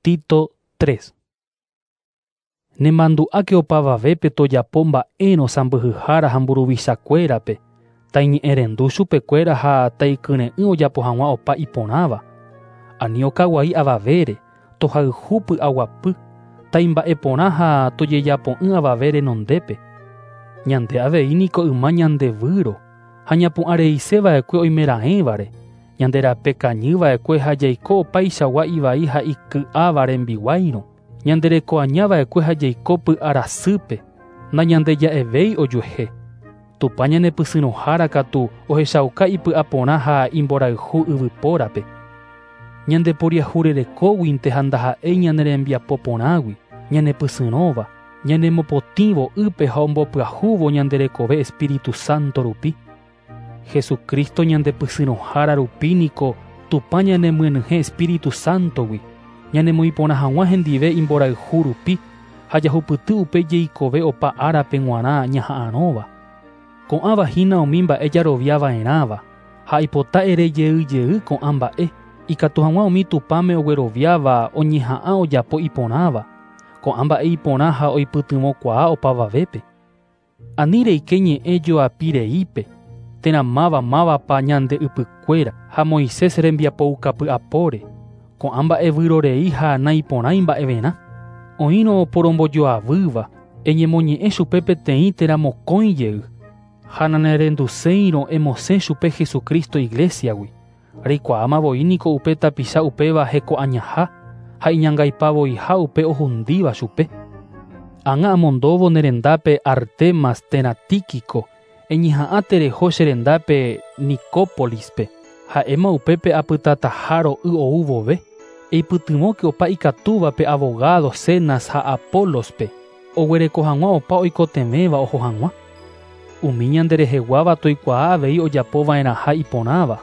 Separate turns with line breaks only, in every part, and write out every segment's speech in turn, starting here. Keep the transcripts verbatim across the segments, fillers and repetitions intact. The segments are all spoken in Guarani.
Tito tres. Nemandu'áke opavavépe tojapo mba'érõ sãmbyhyhára ha mburuvichakuérape, taiñe'ẽrendu chupekuéra ha taikyre'ỹ ojapo hag̃ua opa iporãva. Ani okaguai avavére, tohayhu py'aguapy, taimba'eporã ha tojejapo'ỹ avave renondépe. Ñande avei niko yma ñandevýro ha ñapu'ãreiseva'ekue oimeraẽvare, ñande rape kañyva'ekue ha jaiko opaichagua ivai ha iky'áva rembiguáirõ. Ñande rekoañava'ekue ha jaiko py'arasýpe, nañandeja'evéi ojuehe. Tupã ñanepysyrõhára katu ohechauka ipy'aporã ha imborayhu yvypórape. Ñande poriahurerekóguinte ha ndaha'éi ñane rembiapo porãgui, ñanepysyrõva, ñanemopotĩvo ýpe ha ombopyahúvo ñande rekove Espíritu Santo rupi. Jesucristo ñandepysyrõhára rupi niko Tupã ñanemyenyhẽ Espíritu Santogui, ñanemoĩporã hag̃ua hendive imborayhu rupi ha jahupyty upe jeikove opa árape g̃uarã ñaha'arõva. Ko'ãva hína umi mba'e jaroviava'erãva ha ipota ere jey jey ko'ã mba'e, ikatu hag̃ua umi Tupãme ogueroviáva oñeha'ã ojapo iporãva, ko'ã mba'e iporã ha oipytyvõkuaa opavavépe. Ani reike ñe'ẽ joapi reípe, térã máva mávapa ñande ypykuéra ha Moisés rembiapoukapy'apóre, ko'ã mba'e vyrorei ha naiporãi mba'everã. Oĩrõ oporombojoavýva, eñemoñe'ẽ chupe peteĩ térã mokõi jey, ha nanerenduséirõ emosẽ chupe Jesucristo iglesiagui. Reikuaáma voi niko upe tapicha upéva hekoañaha ha iñangaipavoiha upe ohundíva chupe. Ág̃a amondóvo nerendápe Artemas térã Tíquico, eñeha'ã tereho che rendápe Nicópolispe, ha'éma upépe apytataha ro'y ou vove. Eipytyvõke opa ikatúvape abogado Zenas ha Apolospe, oguereko hag̃ua opa oikotevẽva oho hag̃ua. Umi ñandereheguáva toikuaa avei ojapova'erãha iporãva,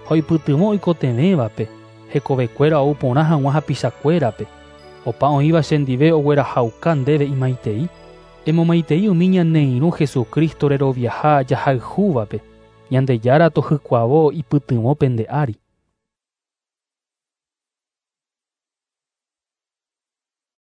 ha oipytyvõ oikotevẽvape, hekovekuéra ou porã hag̃ua hapichakuérape. Opa oĩva chendive oguerahauka ndéve imaitei. Emomaitei umi ñane irũ Jesucristo reroviaha jahayhúvape. Ñandejára tohykuavo ipytyvõ pende ári.